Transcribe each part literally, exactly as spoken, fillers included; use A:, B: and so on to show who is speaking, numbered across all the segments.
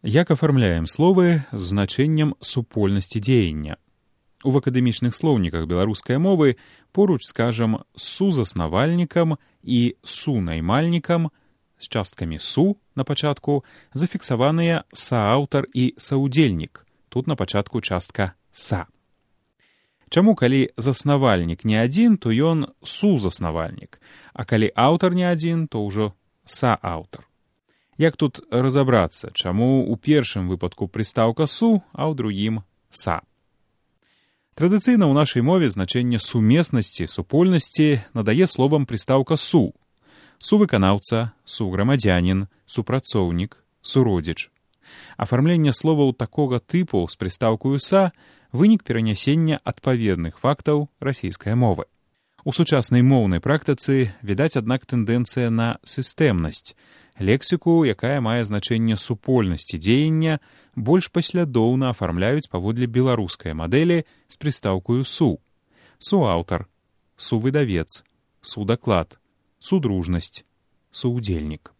A: Як афармляем словы з значэннем супольнасці дзеяння? У акадэмічных слоўніках беларускай мовы поруч, скажам, з сузаснавальнікам і сунаймальнікам з часткамі «су» на пачатку зафіксаваныя сааўтар і саўдзельнік, тут на пачатку частка «са». Чаму, калі заснавальнік не адзін, то ён сузаснавальнік, а калі аўтар не адзін, то ўжо сааўтар? Як тут разабрацца, чаму ў першым выпадку прыстаўка «су», а ў другім «са»? Традыцыйна ў нашай мове значэнне сумеснасці, супольнасці надае словам прыстаўка «су». Сувыканаўца, суграмадзянін, супрацоўнік, суродзіч. Афармленне словаў такога тыпу з прыстаўкаю «са» вынік перанясення адпаведных фактаў расійскай мовы. У сучаснай моўнай практыцы відаць, аднак, тэндэнцыя на сістэмнасць. Лексіку, якая мае значэнне супольнасці дзеяння, больш паслядоўна афармляюць паводле беларускай мадэлі з прыстаўкаю «су». Суаўтар, сувыдавец, судаклад, судружнасць, суудзельнік.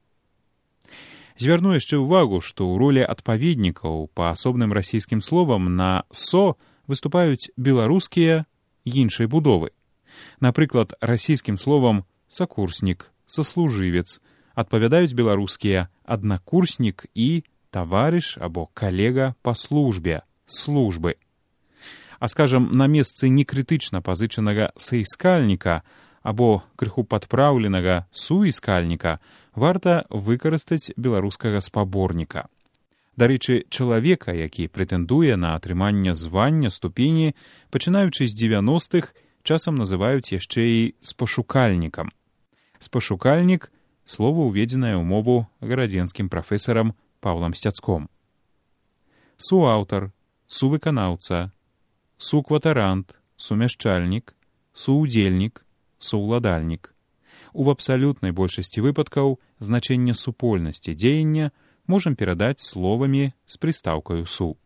A: Звярну яшчэ ўвагу, што ў ролі адпаведнікаў па асобным расійскім словам на «со» выступаюць беларускія іншай будовы. Напрыклад, расійскім словам «сакурснік», «саслужывец» адпавядаюць беларускія «аднакурснік» і «таварыш» або «калега па службе», «службы». А, скажам, на месцы некрытычна пазычанага «саіскальніка» або крыху падпраўленага «суіскальніка» варта выкарыстаць беларускага спаборніка. Дарэчы, чалавека, які прэтэндуе на атрыманне звання, ступені, пачынаючы з дзевяностых, часам называюць яшчэ і спашукальнікам. Спашукальнік — слова, уведзенае ў мову гарадзенскім прафесарам Паўлам Сцяцком. Суаўтар, сувыканаўца, сукватарант, сумяшчальнік, суудзельнік, саўладальнік. У абсалютнай большасці выпадкаў значэнне супольнасці дзеяння можам перадаць словамі з прыстаўкаю «су».